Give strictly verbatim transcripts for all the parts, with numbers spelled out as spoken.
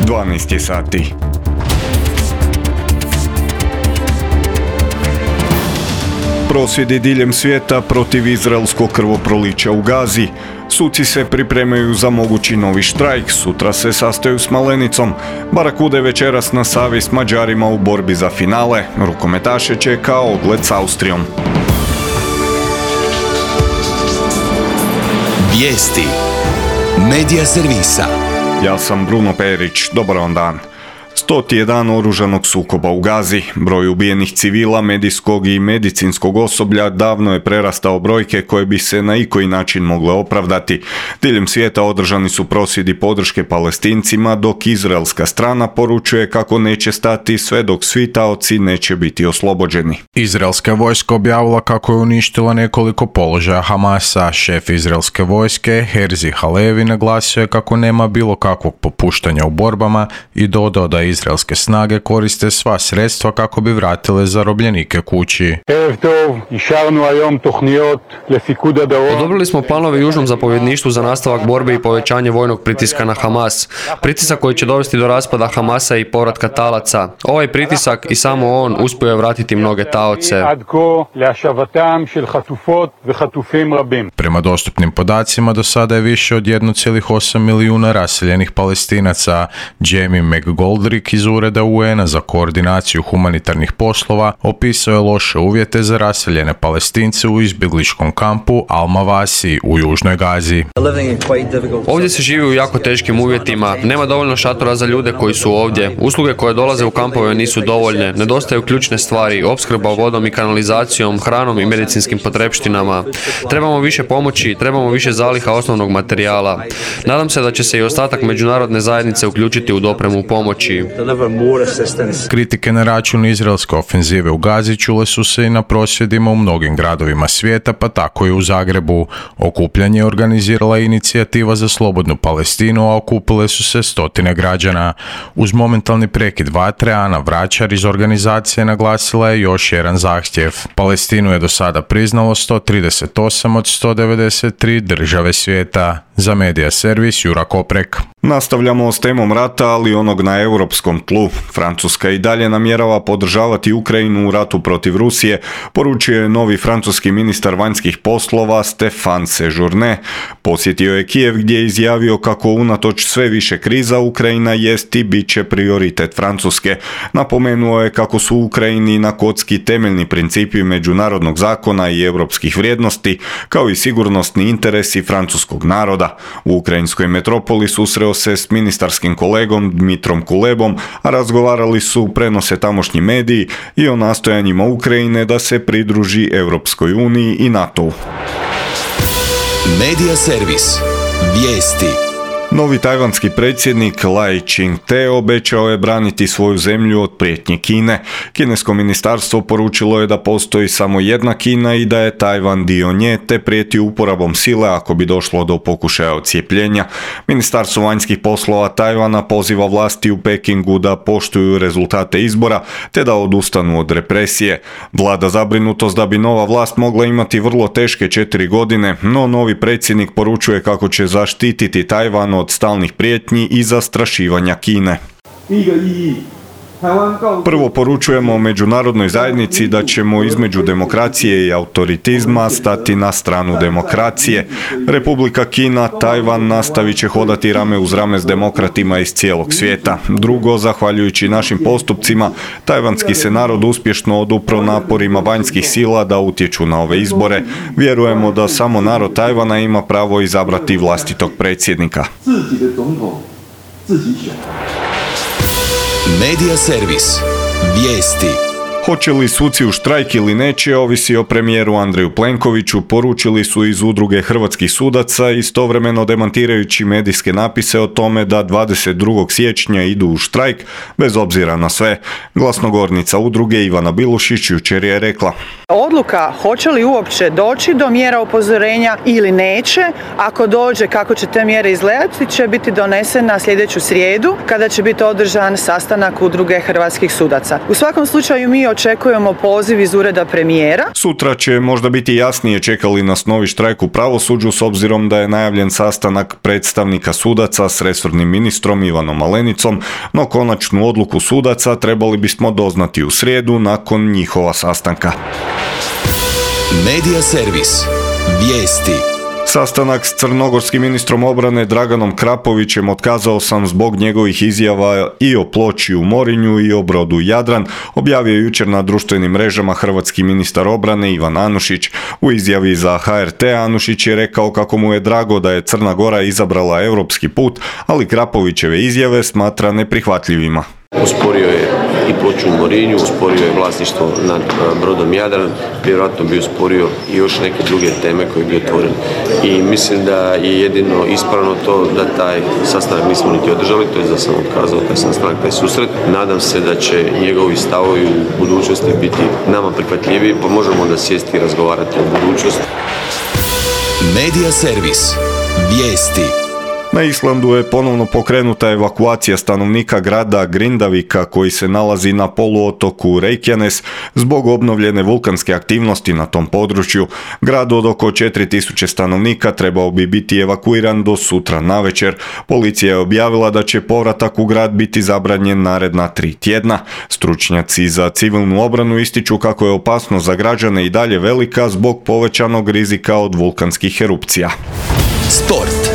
dvanaest je sati. Prosvjedi diljem svijeta protiv izraelskog krvoprolića u Gazi. Suci se pripremaju za mogući novi štrajk, sutra se sastaju s Malenicom. Barakude večeras na Savi s Mađarima u borbi za finale. Rukometaše čeka ogled s Austrijom. Vijesti Medija servisa. Ja sam Bruno Perić, dobar vam dan. Stoti je dan oružanog sukoba u Gazi. Broj ubijenih civila, medijskog i medicinskog osoblja davno je prerastao brojke koje bi se na ikoji način mogle opravdati. Diljem svijeta održani su prosvjedi podrške Palestincima, dok izraelska strana poručuje kako neće stati sve dok svi taoci neće biti oslobođeni. Izraelska vojska objavila kako je uništila nekoliko položaja Hamasa. Šef izraelske vojske, Herzi Halevi, naglasio je kako nema bilo kakvog popuštanja u borbama i dodao da izraelske snage koriste sva sredstva kako bi vratile zarobljenike kući. Odobrili smo planove južnom zapovjedništvu za nastavak borbe i povećanje vojnog pritiska na Hamas. Pritisak koji će dovesti do raspada Hamasa i povratka talaca. Ovaj pritisak i samo on uspio je vratiti mnoge taoce. Prema dostupnim podacima do sada je više od jedan zarez osam milijuna raseljenih Palestinaca. Jamie McGoldrick iz Ureda U N-a za koordinaciju humanitarnih poslova opisao je loše uvjete za raseljene Palestince u izbjegličkom kampu Al-Mawasi u južnoj Gazi. Ovdje se živi u jako teškim uvjetima. Nema dovoljno šatora za ljude koji su ovdje. Usluge koje dolaze u kampove nisu dovoljne. Nedostaju ključne stvari, opskrba vodom i kanalizacijom, hranom i medicinskim potrepštinama. Trebamo više pomoći, trebamo više zaliha osnovnog materijala. Nadam se da će se i ostatak međunarodne zajednice uključiti u dopremu pomoći. Kritike na račun izraelske ofenzive u Gazi čule su se i na prosvjedima u mnogim gradovima svijeta, pa tako i u Zagrebu. Okupljanje je organizirala inicijativa za slobodnu Palestinu, a okupile su se stotine građana. Uz momentalni prekid vatre, Ana Vračar iz organizacije naglasila je još jedan zahtjev. Palestinu je do sada priznalo sto trideset osam od sto devedeset tri države svijeta. Za Medija servis Jura Koprek. Nastavljamo s temom rata, ali onog na europskom tlu. Francuska i dalje namjerava podržavati Ukrajinu u ratu protiv Rusije, poručio je novi francuski ministar vanjskih poslova Stéphane Séjourné. Posjetio je Kijev gdje je izjavio kako unatoč sve više kriza Ukrajina jest i bit će prioritet Francuske. Napomenuo je kako su u Ukrajini na kocki temeljni principi međunarodnog zakona i europskih vrijednosti, kao i sigurnosni interesi francuskog naroda. U ukrajinskoj metropoli susreo se s ministarskim kolegom Dmitrom Kulebom, a razgovarali su, prenose tamošnji mediji, i o nastojanjima Ukrajine da se pridruži Europskoj uniji i NATO-u. Medija servis. Vijesti. Novi tajvanski predsjednik Lai Ching-te obećao je braniti svoju zemlju od prijetnje Kine. Kinesko ministarstvo poručilo je da postoji samo jedna Kina i da je Tajvan dio nje, te prijeti uporabom sile ako bi došlo do pokušaja odcijepljenja. Ministarstvo vanjskih poslova Tajvana poziva vlasti u Pekingu da poštuju rezultate izbora, te da odustanu od represije. Vlada zabrinutost da bi nova vlast mogla imati vrlo teške četiri godine, no novi predsjednik poručuje kako će zaštititi Tajvan od stalnih prijetnji i zastrašivanja Kine. Prvo poručujemo međunarodnoj zajednici da ćemo između demokracije i autoritizma stati na stranu demokracije. Republika Kina, Tajvan nastavit će hodati rame uz rame s demokratima iz cijelog svijeta. Drugo, zahvaljujući našim postupcima, tajvanski se narod uspješno odupro naporima vanjskih sila da utječu na ove izbore. Vjerujemo da samo narod Tajvana ima pravo izabrati vlastitog predsjednika. Medija servis. Vijesti. Hoće li suci u štrajk ili neće, ovisi o premijeru Andreju Plenkoviću, poručili su iz Udruge hrvatskih sudaca, istovremeno demantirajući medijske napise o tome da dvadeset drugog siječnja idu u štrajk, bez obzira na sve. Glasnogovornica udruge Ivana Bilušić jučer je rekla: Odluka hoće li uopće doći do mjera upozorenja ili neće, ako dođe kako će te mjere izgledati, će biti donesena sljedeću srijedu kada će biti održan sastanak Udruge hrvatskih sudaca. U svakom slučaju mi očekujemo očekujemo poziv iz ureda premijera. Sutra će možda biti jasnije čeka li nas novi štrajk u pravosuđu s obzirom da je najavljen sastanak predstavnika sudaca s resornim ministrom Ivanom Malenicom, no konačnu odluku sudaca trebali bismo doznati u srijedu nakon njihova sastanka. Medija servis. Vijesti. Sastanak s crnogorskim ministrom obrane Draganom Krapovićem otkazao sam zbog njegovih izjava i o ploči u Morinju i o brodu Jadran, objavio je jučer na društvenim mrežama hrvatski ministar obrane Ivan Anušić. U izjavi za H R T Anušić je rekao kako mu je drago da je Crna Gora izabrala europski put, ali Krapovićeve izjave smatra neprihvatljivima. Usporio je i ploču u Morinju, usporio je vlasništvo nad brodom Jadran, vjerojatno bi usporio i još neke druge teme koje bi otvorili. I mislim da je jedino ispravno to da taj sastanak nismo niti održali, to je da sam otkazao taj sastanak, taj susret. Nadam se da će njegovi stavovi u budućnosti biti nama prihvatljiviji, pa možemo da sjesti i razgovarati o budućnosti. Medija servis. Vijesti. Na Islandu je ponovno pokrenuta evakuacija stanovnika grada Grindavika koji se nalazi na poluotoku Reykjanes zbog obnovljene vulkanske aktivnosti na tom području. Grad od oko četiri tisuće stanovnika trebao bi biti evakuiran do sutra navečer. Policija je objavila da će povratak u grad biti zabranjen naredna tri tjedna. Stručnjaci za civilnu obranu ističu kako je opasnost za građane i dalje velika zbog povećanog rizika od vulkanskih erupcija. Sport.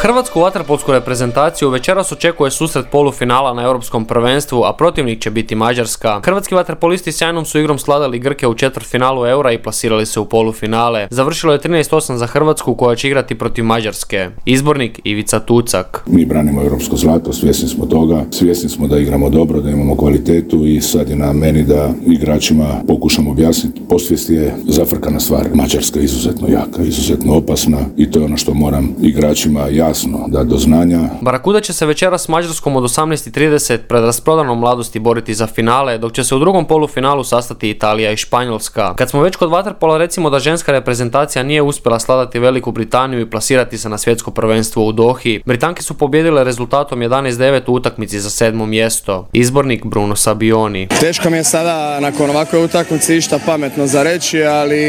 Hrvatsku vaterpolsku reprezentaciju večeras očekuje susret polufinala na europskom prvenstvu, a protivnik će biti Mađarska. Hrvatski vaterpolisti sjajnom su igrom sladali Grke u četvrtfinalu Eura i plasirali se u polufinale. Završilo je trinaest osam za Hrvatsku koja će igrati protiv Mađarske. Izbornik Ivica Tucak. Mi branimo europsko zlato, svjesni smo toga, svjesni smo da igramo dobro, da imamo kvalitetu i sad je na meni da igračima pokušamo objasniti. Posvijest je zafrkana stvar. Mađarska je izuzetno jaka, izuzetno opasna i to je ono što moram igračima jasno da do znanja. Barakuda će se večeras s Mađarskom od osamnaest i trideset pred rasprodanom Mladosti boriti za finale, dok će se u drugom polufinalu sastati Italija i Španjolska. Kad smo već kod vaterpola, recimo da ženska reprezentacija nije uspjela sladati Veliku Britaniju i plasirati se na svjetsko prvenstvo u Dohi. Britanke su pobijedile rezultatom jedanaest devet u utakmici za sedmo mjesto. Izbornik Bruno Sabioni. Teško mi je sada nakon ovakve utakmice išta pametno za reći, ali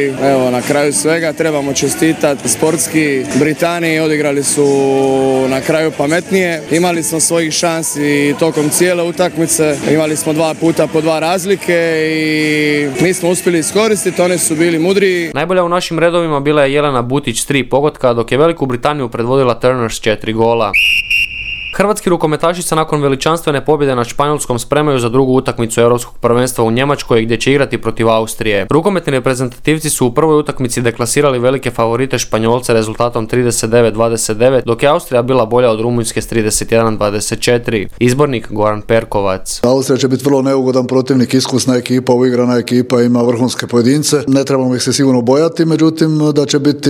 evo na kraju svega trebamo čestitati sportski Britaniji, odigrali su na kraju pametnije. Imali smo svojih šansi tokom cijele utakmice. Imali smo dva puta po dva razlike i mi smo uspjeli iskoristiti, oni su bili mudriji. Najbolja u našim redovima bila je Jelena Butić s tri pogotka, dok je Veliku Britaniju predvodila Turner s četiri gola. Hrvatski rukometaši se nakon veličanstvene pobjede nad Španjolskom spremaju za drugu utakmicu europskog prvenstva u Njemačkoj gdje će igrati protiv Austrije. Rukometni reprezentativci su u prvoj utakmici deklasirali velike favorite Španjolce rezultatom trideset devet dvadeset devet, dok je Austrija bila bolja od Rumunjske s trideset jedan dvadeset četiri. Izbornik Goran Perkovac. Austrija će biti vrlo neugodan protivnik, iskusna ekipa, uigrana ekipa, ima vrhunske pojedince. Ne trebamo ih se sigurno bojati, međutim da će biti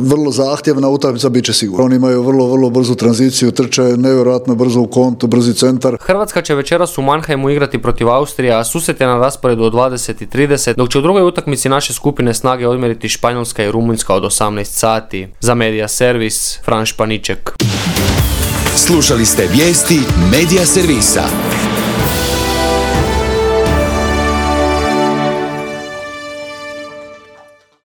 vrlo zahtjevna utakmica, bit će sigurno. Oni imaju vrlo, vrlo brzu tranziciju, trče nevjerojatno brzo u kontu, brzi centar. Hrvatska će večeras u Mannheimu igrati protiv Austrije, a susret je na rasporedu od dvadeset i trideset, dok će u drugoj utakmici naše skupine snage odmjeriti Španjolska i Rumunjska od osamnaest sati. Za Medija servis, Fran Španiček. Slušali ste vijesti Medija servisa.